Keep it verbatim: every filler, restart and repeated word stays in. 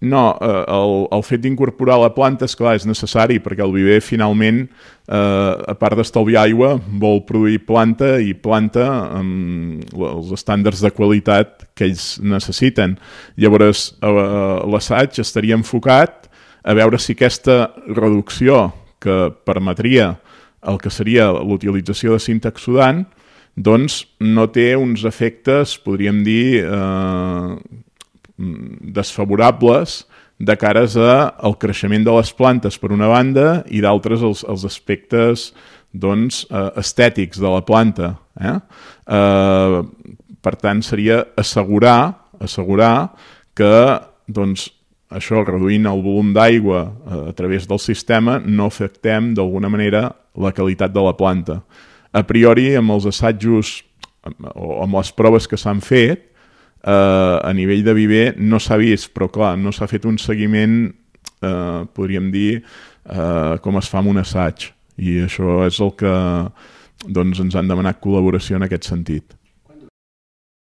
No, eh, el, el fet d'incorporar la planta, esclar, és necessari perquè el viver finalment, eh, a part d'estalviar aigua, vol produir planta i planta amb els estàndards de qualitat que ells necessiten. Llavors, eh, l'assaig estaria enfocat a veure si aquesta reducció que permetria el que seria l'utilització de sintaxodant, doncs no té uns efectes, podríem dir, eh, desfavorables de cares al creixement de les plantes per una banda i d'altres els, els aspectes doncs, eh, estètics de la planta. Eh? Eh, per tant, seria assegurar, assegurar que doncs, això, reduint el volum d'aigua eh, a través del sistema, no afectem d'alguna manera la qualitat de la planta. A priori, amb els assajos o amb les proves que s'han fet, Uh, a nivell de viver no s'ha vist, però clar, no s'ha fet un seguiment, uh, podríem dir, uh, com es fa amb un assaig. I això és el que doncs, ens han demanat col·laboració en aquest sentit.